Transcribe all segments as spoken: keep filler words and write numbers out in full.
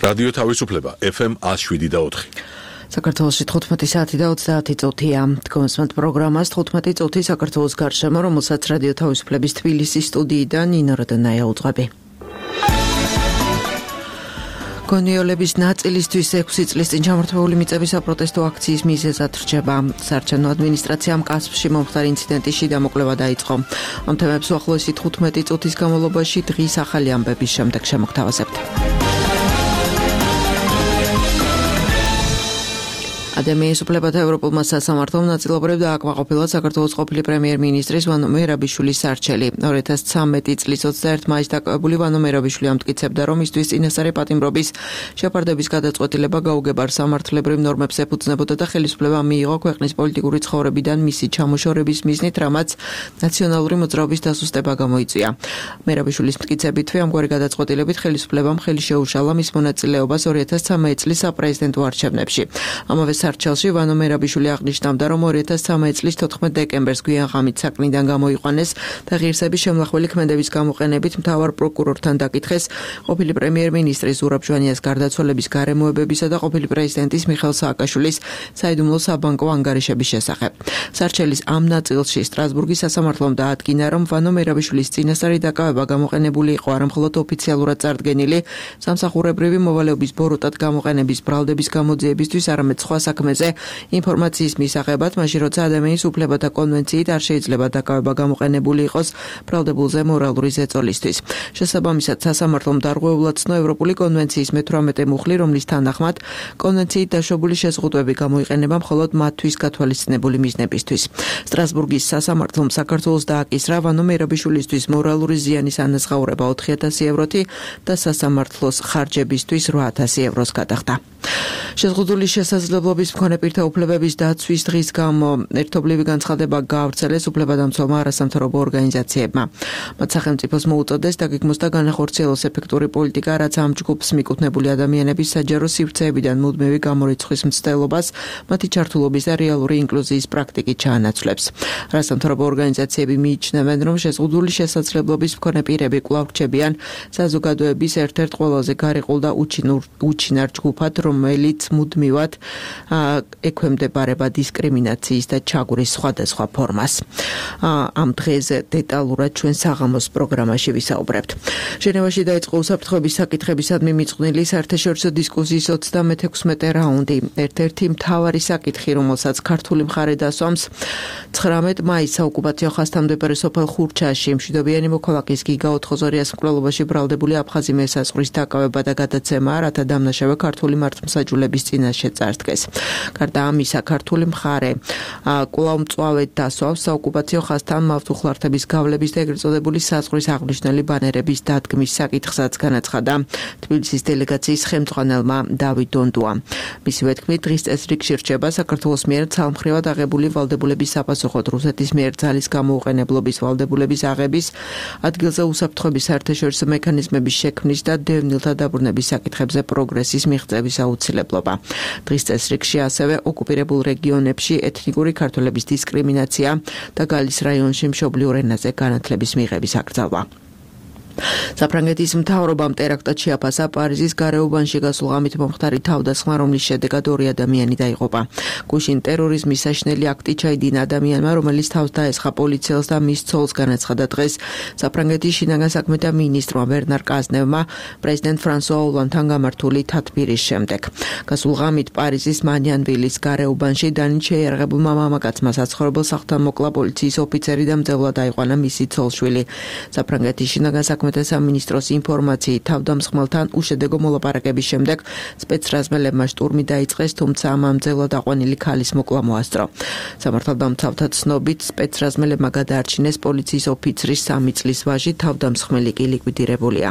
რადიო თავისუფლება ეფ ემ one oh seven და four. საქართველოში თხუთმეტი საათი და ოცდაათი წუთია. Თქვენს პროგრამას თხუთმეტი წუთი საქართველოს გარშემო, რომელსაც რადიო თავისუფლების თბილისის სტუდიიდან ნინო როდონაია უძღვები. გონიოლების ნაწილისთვის ექვსი წლის წინ ჩამორთმეული მიწების საპროტესტო აქციის მიზეზად რჩება. საარჩევნო ადმინისტრაციამ კასპში მომხდარი ინციდენტის დამოკვლევა დაიწყო. ამ თემებს უახლოესი თხუთმეტი წუთის განმავლობაში დღის ახალი ამბების შემდეგ შემოგთავაზებთ. ადამიანის უფლებათა ევროპულმა სასამართლომ ნაწილობრივ დააკმაყოფილა საქართველოს ყოფილი პრემიერ-მინისტრის ვანო მერაბიშვილის სარჩელი. ორი ათას ცხრამეტი წლის ოცდაერთი მაისს დაკავებული ვანო მერაბიშვილი ამტკიცებდა, რომ მისთვის წინასწარი პატიმრობის შეფარდების გადაწყვეტილება გაუგებარ სამართლებრივ ნორმებს ეფუძნებოდა და ხელისუფლება მიიღო ქვეყნის პოლიტიკური ცხოვრებიდან მისი ჩამოშორების მიზნით, რამაც ნაციონალური მოძრაობის დასუსტება გამოიწვია. მერაბიშვილის მტკიცებითვე ამგვარი გადაწყვეტილებით ხელისუფლებამ ხელი შეუშალა მის მონაწილეობას ორი ათას ცხრამეტი წლის საპრეზიდენტო არჩევნებში. ამავე სარჩელში ვანო მერაბიშვილი აღნიშნავდა, რომ ორი ათას ცხრამეტი წლის თოთხმეტ დეკემბერს გვიან ღამით საქმიდან გამოიყვანეს და ღირსების შემნახველი ქმედების გამოყენებით მთავარ პროკურორთან დაკითხეს ყოფილი პრემიერ-მინისტრის ზურაბ ჟვანიას გარდაცვალების გარემოებებისა და ყოფილი პრეზიდენტის მიხეილ სააკაშვილის საიდუმლო საბანკო ანგარიშების შესახებ. სარჩელის ამ ნაწილში სტრასბურგის სასამართლომ დაადგინა, რომ ვანო მერაბიშვილის წინასწარი დაკავება გამოყენებული იყო არა მხოლოდ ოფიციალურად წარდგენილი სამსახურებრივი მოვალეობის ბოროტად გამოყენების ბრალდების გამოძიებისთვის, არამედ სხვა საქმეზე ინფორმაციის მისაღებად, მაშინ როცა ადამიანის უფლებათა კონვენციით არ შეიძლება დაკავება გამოყენებული იყოს ბრალდებულზე მორალური ზეწოლისთვის. შესაბამისად, სასამართლომ დარღვეულად ცნო ევროპული კონვენციის მეთვრამეტე მუხლი, რომლის თანახმად კონვენციით დაშვებული შეზღუდვები გამოიყენება მხოლოდ მათთვის გათვალისწინებული მიზნებისთვის. სტრასბურგის სასამართლომ საქართველოს დააკისრა ვანო მერაბიშვილისთვის მორალური ზიანის ანაზღაურება ოთხი ათასი ევროთი და სასამართლოს ხარჯებისთვის რვა ათასი ევროს გადახდა. შეზღუდული შესაძლებლობის მქონე პირთა უფლებების დაცვის დღის გამო ერთობლივი განცხადება გაავრცელეს უფლებადამცველმა არასამთავრობო ორგანიზაციებმა. მათ სახელმწიფოს მოუწოდეს დაგეგმოს და განახორციელოს ეფექტური პოლიტიკა, რაც ამ ჯგუფს მიკუთვნებული ადამიანების საჯარო სივრცეებიდან მუდმივი გამორიცხვის მცდელობას, მათი ჩართულობის და რეალური ინკლუზიის პრაქტიკით ჩაანაცვლებს. არასამთავრობო ორგანიზაციები მიიჩნევენ, რომ შეზღუდული შესაძლებლობის მქონე პირები კვლავ რჩებიან საზოგადოების ერთ-ერთ ყველაზე გარიყულ და უჩინარ ჯგუფად, რომელიც მუდმივად ექვემდებარება დისკრიმინაციის და ჩაგვრის სხვადასხვა ფორმას. ამ დღეზე დეტალურად ჩვენ საღამოს პროგრამაში ვისაუბრებთ. ჟენევაში დაიწყო უსაფრთხოების საკითხებისადმი მიწყვნილი საერთაშორისო დისკუსიის ოცდამეექვსმეტე რაუნდი. ერთ-ერთი მთავარი საკითხი, რომელსაც ქართული მხარე დასვამს, ცხრამეტ მაისს საოკუპაციო ხაზთამდებარე სოფელ ხურჩაში მშვიდობიანი მოქალაქის გიგა ოთხოზორიას მკვლელობაში ბრალდებული აფხაზი მესაზღვრის დაკავება და გადაცემა, რათა დამნაშავე ქართული მართლმსაჯულების წინაშე წარდგეს. გარდა ამისა, ქართული მხარე კვლავ მწვავედ დასვავს საოკუპაციო ხაზთან მავთუხლართების გავლების და ეგრეთ წოდებული საზღვრის აღნიშნული ბანერების დადგმის საკითხსაც განაცხადა თბილისის დელეგაციის ხელმძღვანელმა დავით დონდუამ. მისივე თქმით, დღის წესრიგში რჩება საქართველოს მიერ ცალმხრივად აღებული ვალდებულების საპასუხოდ რუსეთის მიერ ძალის გამოუყენებლობის ვალდებულების აღების, ადგილზე უსაფრთხოების საერთაშორისო მექანიზმების შექმნის და დევნილთა დაბრუნების საკითხებზე პროგრესის მიღწევის აუცილებლობა. დღის წესრიგში ასევე ოკუპირებულ რეგიონებში ეთნიკური ქართველების დისკრიმინაცია და გალის რაიონში მშობლიურ ენაზე განათლების მიღების აკრძალვა. საფრანგეთის მთავრობამ ტერაქტად შეაფასა პარიზის გარეუბანში გასულ ღამით მომხდარი თავდასხმა, რომლის შედეგად ორი ადამიანი დაიღუპა. გუშინ ტერორიზმის საშინელი აქტი ჩაიდინა ადამიანმა, რომელიც თავს დაესხა პოლიციელს და მის ცოლს, განაცხადა დღეს საფრანგეთის შინაგან საქმეთა მინისტრმა ბერნარ კაზნევმა პრეზიდენტ ფრანსუა ოლანდთან გამართული თათბირის შემდეგ. გასულ ღამით პარიზის მანიანვილის გარეუბანში დანით შეიარაღებულმა მამაკაცმა საცხოვრებელ სახლთან მოკლა პოლიციის ოფიცერი და მძევლად აიყვანა მისი ცოლ-შვილი. საფრანგეთის შინაგან საქმეთა სამინისტროს ინფორმაციით, თავდამსხმელთან უშედეგო მოლაპარაკების შემდეგ სპეცრაზმელებმა შტურმი დაიწყეს, თუმცა ამ მძევლად აყვანილი ქალის მოკლა მოასწრო. სამართალდამცავთა ცნობით, სპეცრაზმელებმა გადაარჩინეს პოლიციის ოფიცრის სამი წლის ვაჟი, თავდამსხმელი კი ლიკვიდირებულია.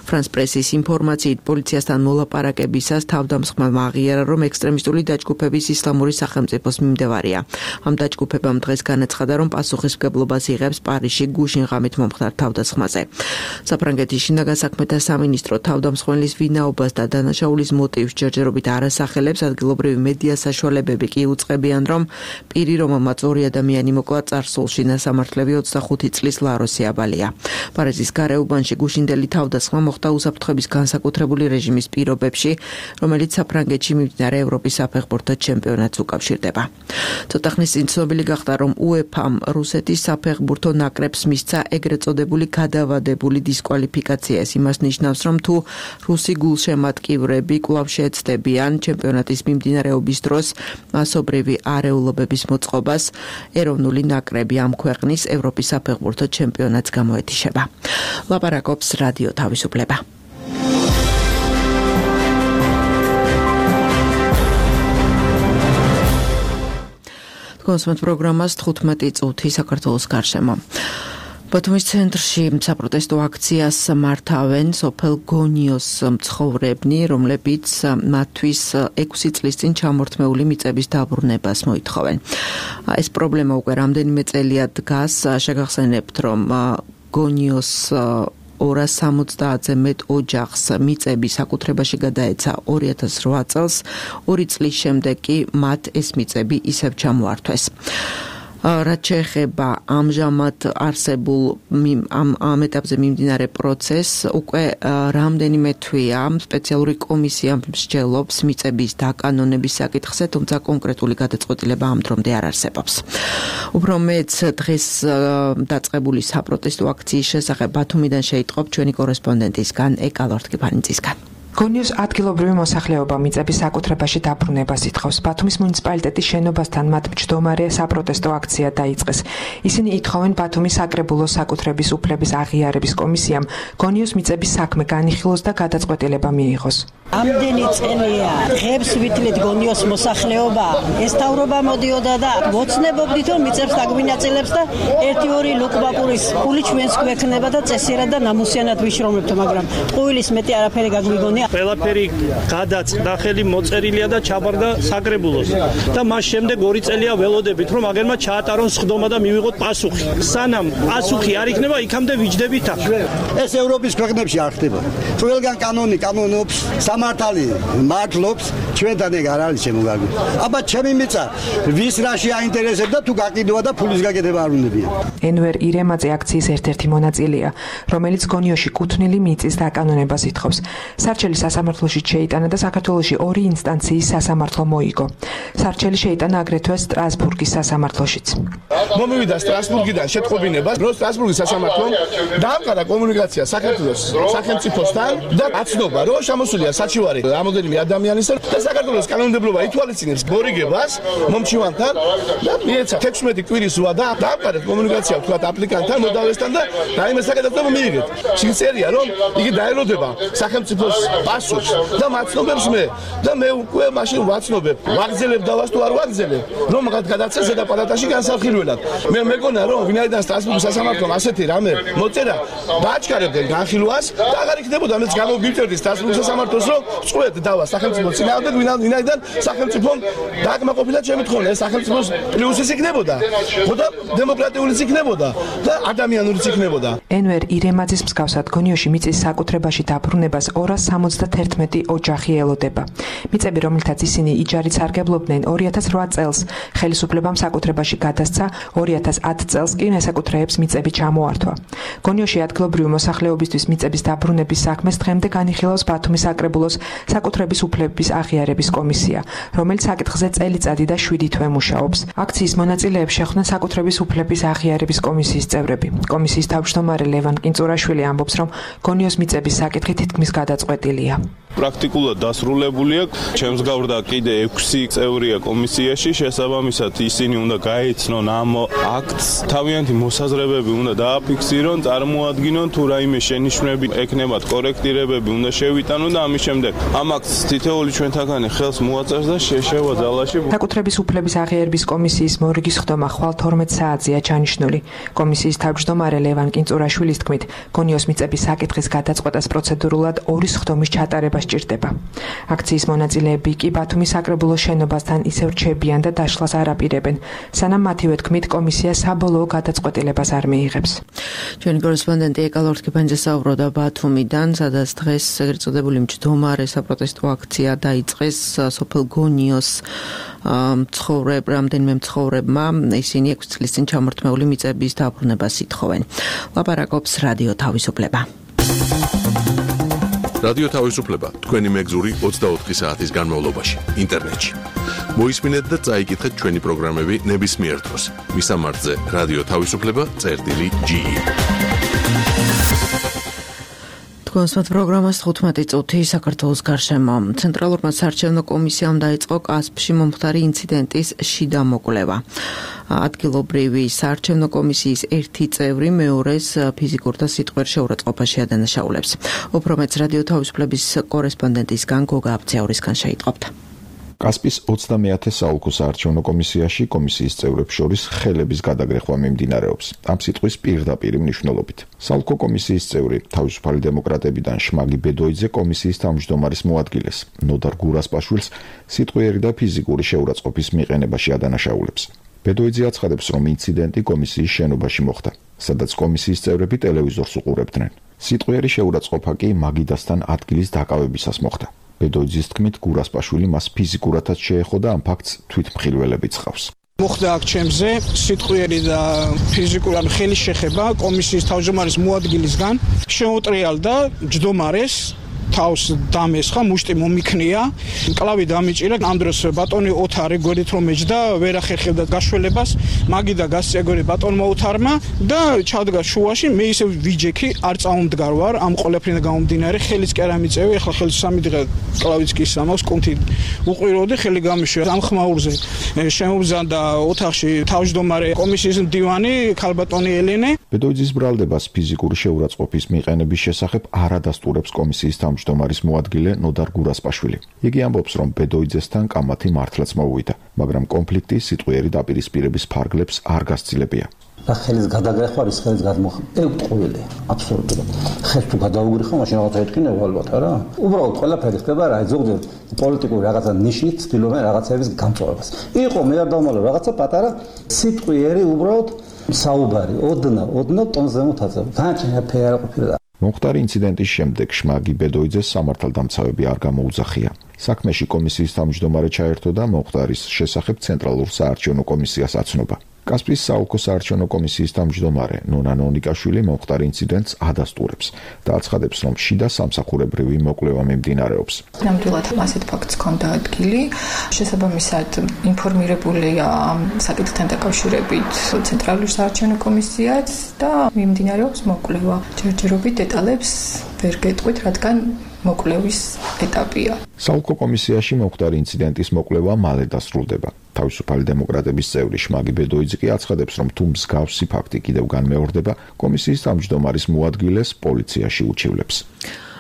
ფრანს პრესის ინფორმაციით, პოლიციასთან მოლაპარაკებისას თავდამსხმელმა აღიარა, რომ ექსტრემისტული დაჯგუფების ისლამური სახელმწიფოს მიმდევარია. ამ დაჯგუფებამ დღეს განაცხადა, რომ პასუხისმგებლობას იღებს პარიზში გუშინ ღამით მომხდარ თავდასხმაზე. საფრანგეთის შინაგან საქმეთა სამინისტრო თავდამსხმელის ვინაობას და დანაშაულის მოტივს ჯერჯერობით არ ასახელებს, ადგილობრივი მედია საშუალებები კი უწყებიან, რომ პირი, რომელმაც ორი ადამიანი მოკლა წარსულში, ნასამართლები ოცდახუთი წლის ლაროსი აბალია. პარიზის გარეუბანში გუშინდელი თავდასხმა მოხდა უსაფრთხოების განსაკუთრებული რეჟიმის პირობებში, რომელიც საფრანგეთში მიმდინარე ევროპის საფეხბურთო ჩემპიონატს უკავშირდება. ცოტა ხნის წინ ცნობილი გახდა, რომ უეფამ რუსეთის საფეხბურთო ნაკრებს მისცა ეგრეთ წოდებული გადავადებული დისკვალიფიკაცია. ეს იმას ნიშნავს, რომ თუ რუსი გულშემატკივრები კვლავ შეეცდებიან ჩემპიონატის მიმდინარეობის დროს მასობრივი არეულობების მოწყობას, ეროვნული ნაკრები ამ ქვეყნის ევროპის საფეხბურთო ჩემპიონატს გამოეთიშება. ლაპარაკობს რადიო თავისუფლება. კონსუმენტ პროგრამას თხუთმეტი წუთი საქართველოს გარშემო. ბათუმის ცენტრში საპროტესტო აქციას მართავენ სოფელ გონიოს მცხოვრებნი, რომლებიც მათთვის ექვსი წლის წინ ჩამორთმეული მიწების დაბრუნებას მოითხოვენ. ეს პრობლემა უკვე რამდენიმე წელია დგას. შეგახსენებთ, რომ გონიოს ორას სამოცდაათზე მეტ ოჯახს მიწები საკუთრებაში გადაეცა ორი ათას რვა წელს, ორი წლის შემდეგ კი მათ ეს მიწები ისევ ჩამოართვეს. რაც შეეხება ამჟამად არსებულ ამ ამ ეტაპზე მიმდინარე პროცესს, უკვე რამდენიმე თვეა სპეციალური კომისია მსჯელობს მიწების დაკანონების საკითხზე, თუმცა კონკრეტული გადაწყვეტილება ამ დრომდე არ არსებობს. უფრო მეც დღეს დაწყებული საპროტესტო აქციის შესახებ ბათუმიდან შეიტყობ ჩვენი კორესპონდენტისგან ეკა ლორთქიფანიძისგან. გონიოს ადგილობრივი მოსახლეობა მიწების საკუთრებაში დაბრუნებას ითხოვს. ბათუმის მუნიციპალიტეტის შენობასთან მათ მჯდომარე საპროტესტო აქცია დაიწყეს. ისინი ითხოვენ ბათუმის საკრებულოს საკუთრების უფლების აღიარების კომისიამ გონიოს მიწების საქმე განიხილოს და გადაწყვეტილება მიიღოს. ამდენი წელია ღებს ვითვლით გონიოს მოსახლეობა ესთავრობა მოდიოდა და ვოცნებობდით რომ მიწებს დაგვინაწილებს და ერთი ორი ლუკბაპურის ფული ჩვენს გვექნება და წესიერად და ნამუსიანად ვიშრომებთ, მაგრამ ყოველის მეტი არაფერი გაგვიგონია. ყველაფერი გადაწყდა, ხელი მოწერილია და ჩაბარდა საკრებულოს და მას შემდეგ ორი წელია ველოდებით რომ აგერმა ჩაატარონ სხდომა და მივიღოთ პასუხი. სანამ პასუხი არ იქნება, იქამდე ვიჯდებით აქ. ეს ევროპის ქვეყნებში არ ხდება. ყველგან კანონი კანონობს, სამართალი მართლობს, ჩვენთან ეგ არ არის შემოგარგული. აბა ჩემი მიწა ვის რაში აინტერესებდა თუ გაკიდვა და ფულის გაკეთება არ უნდებია. ენვერ ირემაძე აქციის ერთ-ერთი მონაწილეა, რომელიც გონიოში კუთვნილი მიწის დაკანონებას ითხოვს. სარჩელი სასამართლოში შეიტანა და საქართველოში ორი ინსტანციის სასამართლო მოიგო. სარჩელი შეიტანა აგრეთვე სტრასბურგის სასამართლოშიც. მომივიდა სტრასბურგიდან შეტყობინება, რომ სტრასბურგის სასამართლომ დაამყარა კომუნიკაცია საქართველოს სახელმწიფოსთან და აცნობა, რომ შემოსულია საჩივარი რამოდენიმე ადამიანის და საქართველოს კანონმდებლობა ითვალისწინებს გორიგებას მომჩივანთან და მიეცა თექვსმეტი კვირის ზღვა და დაამყარეთ კომუნიკაცია თქვათ აპლიკანტთან, მოდავესთან და რაიმე საკადასტრო მიიღეთ. შეწერია, რომ იგი დაელოდება სახელმწიფოს პასუხს და მაცნობებს მე და მე უკვე მაშინ ვაცნობებ, ვაგზელებ დავას თუ არ ვაგზელებ, რომ გადაცეს ზედა პალატაში განსახილველად. მე მეგონა რომ ვინაიდან სტრასბურგის სასამართლომ ასეთი რამე მოწერა, დააჩქარებდნენ განხილვას და აღარ იქნებოდა მეც გამოვიმტერდი სტრასბურგის სასამართლოს რომ წვეთ დავას სახელმწიფო წინააღმდეგ, ვინაიდან სახელმწიფომ დააკმაყოფილა ჩემი თხოვნა, ეს სახელმწიფოს პლუსის იქნებოდა, ხოდა დემოკრატიულიც იქნებოდა და ადამიანურიც იქნებოდა. ენვერ ირემაძის მსგავსად გონიოში მიწის საკუთრებაში დაბრუნებას ორას სამოცდაათერთმეტი ოჯახი ელოდება. მიწები, რომელთაც ისინი იჯარით სარგებლობდნენ ორი ათას რვა წელს, ხელისუფლებამ საკუთრებაში გადასცა, ორი ათას ათ წელს კი ნესაკუთრეებს მიწები ჩამოართვა. გონიოში ადგილობრივი მოსახლეობისთვის მიწების დაბრუნების საქმეს დღემდე განიხილავს ბათუმის საკრებულოს საკუთრების უფლების აღიარების კომისია, რომელიც საკითხზე წელიწადი და შვიდი თვე მუშაობს. აქციის მონაწილეებს შეხვდნენ საკუთრების უფლების აღიარების კომისიის წევრები. კომისიის თავმჯდომარე ლევან კინწურაშვილი ამბობს, რომ გონიოს მიწების საკითხი თითქმის გადაწყვეტილია. პრაქტიკულად დასრულებულია. ჩემს გავრდა კიდე ექვსი წევრია კომისიაში, შესაბამისად ისინი უნდა გაეცნონ ამ აქტს, თავიანთი მოსაზრებები უნდა დააფიქსირონ, წარმოადგინონ თუ რაიმე შენიშვნები ექნებათ, კორექტირებები უნდა შევიტანონ და ამის შემდეგ ამ აქტს თითოეული ჩვენთაგანი ხელს მოაწერს და შეშევა ძალაში. საკუთრების უფლების აღიარების კომისიის მორიგის ხდომა ხვალ თორმეტ საათზეა ჩანიშნული. კომისიის თავმჯდომარე ლევან კინწურაშვილის თქმით, გონიოს მიწების საკითხის გადაწყვეტას პროცედურულად ორი სხდომის ჩატარებას სჭირდება. აქციის მონაწილეები კი ბათუმის საკრებულოს შენობასთან ისევ რჩებიან და დაშლას არ აპირებენ, სანამ მათივე თქმით კომისია საბოლოო გადაწყვეტილებას არ მიიღებს. ჩვენი კორესპონდენტი ეკალ ორთქიფანიძე საუბრობდა ბათუმიდან, სადაც დღეს ეგრეთ წოდებული მჯდომარე საპროტესტო აქცია დაიწყეს სოფელ გონიოს მცხოვრებ რამდენიმე მცხოვრებმა, ისინი ექვსი წლის წინ ჩამორთმეული მიწების დაბრუნებას ითხოვენ. ლაპარაკობს რადიო თავისუფლება. რადიო თავისუფლება თქვენი მეგზური ოცდაოთხი საათის განმავლობაში ინტერნეტში. მოისმინეთ და წაიკითხეთ ჩვენი პროგრამები ნებისმიერ დროს. მისამართზე რადიო თავისუფლება წერტილი ჯი. კონსult პროგრამას თხუთმეტი წუთი საქართველოს გარშემო. ცენტრალურმა საარჩევნო კომისიამ დაიწყო კასპში მომხდარი ინციდენტის შიდა მოკვლევა. ადგილობრივი საარჩევნო კომისიის ერთი წევრი მეორეს ფიზიკურ და სიტყვიერ შეურაცხყოფაში ადანაშაულებს. უფრო მეც რადიო თავისუფლების კორესპონდენტისგან გოგა აბცეურისგან შეიტყობთ. კასპის ოცდამეათე საოლქო საარჩევნო კომისიაში კომისიის წევრებს შორის ხელების გადაგრეხვა მიმდინარეობს. ამ სიტყვის პირდაპირი მნიშვნელობით. საოლქო კომისიის წევრი თავისუფალი დემოკრატებიდან შმაგი ბედოიძე კომისიის თავმჯდომარის მოადგილეს, ნოდარ გურასპაშვილს სიტყვიერი და ფიზიკური შეურაცხყოფის მიყენებაში ადანაშაულებს. ბედოიძე აცხადებს, რომ ინციდენტი კომისიის შენობაში მოხდა, სადაც კომისიის წევრები ტელევიზორს უყურებდნენ. სიტყვიერი შეურაცხყოფა კი მაგიდასთან ადგილის დაკავებისას მოხდა. ბედოიძის თქმით, გურასპაშვილი მას ფიზიკურადაც შეეხო და ამ ფაქტს თვითმხილველებიც ხავს. მოხდა აქ ჩემზე სიტყვიერი და ფიზიკურად ხელის შეხება კომისიის თავმჯდომარის მოადგილისგან, შეუტრიალდა ჯდომარეს თავს დამესხა, მუშტი მომიქნია, კლავი დამიჭირა. ამ დროს ბატონი ოთარი გვერდით რომ ეჯდა, ვერ ახერხებდა გაშველებას, მაგიდა გასწიაგორე ბატონმა ოთარმა და ჩადგა შუაში. მე ისე ვიჯექი, არ წავმდგარ ვარ, ამ ყოლაფრიდან გამომდინარე, ხელიც კი არ ამიწევი, ახლა ხელს სამი დღე კლავიც კი სამავს, კონთი უყვიროდი, ხელი გამიშვია. ამ ხმაურზე შემობრძანდა ოთახში თავმჯდომარე კომისიის მდივანი ქალბატონი ელენე. ბედოიძის ბრალდებას ფიზიკური შეურაცხყოფის მიყენების შესახებ არ ადასტურებს კომისიის თავმჯდომარის მოადგილე ნოდარ გურასპაშვილი. იგი ამბობს, რომ ბედოიძესთან კამათი მართლაც მოუვიდა, მაგრამ კონფლიქტი სიტყვიერი დაპირისპირების ფარგლებს არ გასცილებია. და ხელის გადაგრეხვა ის ხელის გადმოხ ევტყუილი აბსოლუტურად ხელს თუ გადაუგრიხო მაშინ რაღაცა ეთქინე ალბათ არა უბრალოდ ყველაფერი ხდება რა ზოგადად პოლიტიკური რაღაცა ნიშნით ცდილობენ რაღაცების გამწვავებას იყო მე არ დავმალო რაღაცა პატარა სიტყვიერი უბრალოდ საუბარი ოდნა ოდნა ტონზე მოთაცა განჩენა ფერა ყოფილა. მომხდარი ინციდენტის შემდეგ შმაგი ბედოიძეს სამართალდამცავები არ გამოუძახია. საქმეში კომისიის თავმჯდომარე ჩაერთო და მომხდარის შესახებ ცენტრალურ საარჩევნო კომისიას აცნობა. კასპის საოლქო საარჩევნო კომისიის თავმჯდომარე ნონა ნონიკაშვილი მომხდარ ინციდენტს ადასტურებს და აცხადებს, რომ შიდა სამსახურებრივი მოკვლევა მიმდინარეობს. ნამდვილად ასეთ ფაქტს ჰქონდა ადგილი, შესაბამისად ინფორმირებულია საკითხთან დაკავშირებით ცენტრალური საარჩევნო კომისიაც და მიმდინარეობს მოკვლევა. ჯერჯერობით დეტალებს ვერ გეტყვით, რადგან მოკვლევის ეტაპია. საოლქო კომისიაში მომხდარი ინციდენტის მოკვლევა მალე დასრულდება. თავისუფალი დემოკრატების წევრი შმაგი ბედოიძე კი აცხადებს, რომ თუ მსგავსი ფაქტი კიდევ განმეორდება, კომისიის თავმჯდომარის მოადგილეს პოლიციაში უჩივლებს.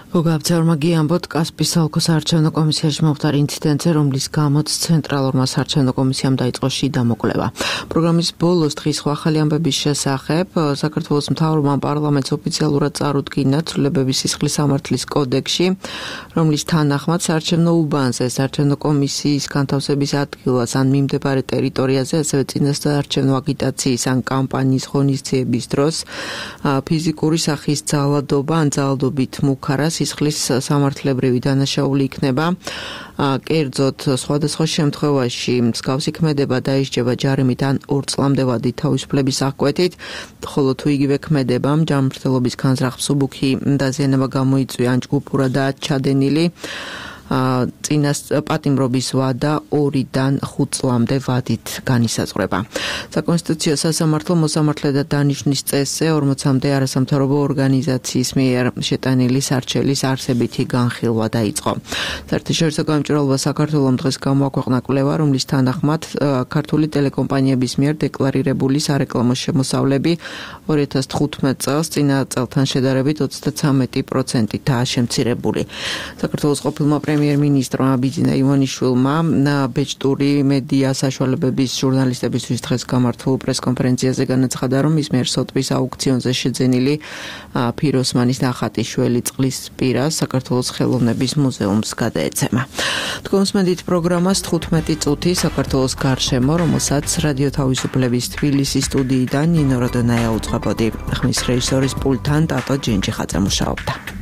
გოგა აბცეურმა გიამბოთ კასპის საოლქო საარჩევნო კომისიაში მომხდარ ინციდენტზე, რომლის გამოც ცენტრალურმა საარჩევნო კომისიამ დაიწყო შიდა მოკვლევა. პროგრამის ბოლოს დღის ახალი ამბების შესახებ საქართველოს მთავრობამ პარლამენტს ოფიციალურად წარუდგინა ცვლილებების სისხლის სამართლის კოდექსში, რომლის თანახმად საარჩევნო უბანზე, საარჩევნო კომისიის განთავსების ადგილას ან მიმდებარე ტერიტორიაზე, ასევე წინასაარჩევნო აგიტაციის ან კამპანიის ღონისძიების დროს ფიზიკური სახის ძალადობა ან ძალადობით მუქარა სისხლის სამართლებრივი დანაშაული იქნება. კერძოდ, სხვადასხვა შემთხვევაში მსგავსი ქმედება დაისჯება ჯარიმით ან ორ წლამდე ვადით თავისუფლების აღკვეთით, ხოლო თუ იგივე ქმედებამ ჯანმრთელობის განზრახ მსუბუქი დაზიანება გამოიწვია ან ჯგუფურადაა ჩადენილი, წინას პატიმრობის ვადა ორიდან ხუთ წლამდე ვადით განისაზღვრება. საკონსტიტუციო სასამართლო მოსამართლე და დანიშნვის წესზე ორმოცამდე არასამთავრობო ორგანიზაციის მიერ შეტანილი სარჩელის არსებითი განხილვა დაიწყო. საერთაშორისო გამჭვირვალობა საქართველოს დღეს გამოაქვეყნა კვლევა, რომლის თანახმად ქართული ტელეკომპანიების მიერ დეკლარირებული სარეკლამო შემოსავლები ორი ათას თხუთმეტ წელს წინა წელთან შედარებით ოცდათვრამეტი პროცენტითაა შემცირებული. საქართველოს ყოფილმა პრემიერ-მინისტრმა ბიძინა ივანიშვილმა ბეჭდური მედია საშუალებების ჟურნალისტებისთვის დღეს გამართულ პრესკონფერენციაზე განაცხადა, რომ ის მიერ სოტბის აუქციონზე შეძენილი ფიროსმანის ნახატიშველი წყლის პირას საქართველოს ხელოვნების მუზეუმს გადაეცემა. თქვენსმენდით პროგრამას თხუთმეტი წუთი საქართველოს გარშემო, რომელსაც რადიო თავისუფლების თბილისის სტუდიიდან ნინო როდონაია უძღვებოდი. ხმის რეჟისორის პულტთან ტატო ჯინჯიხაძე მუშაობდა.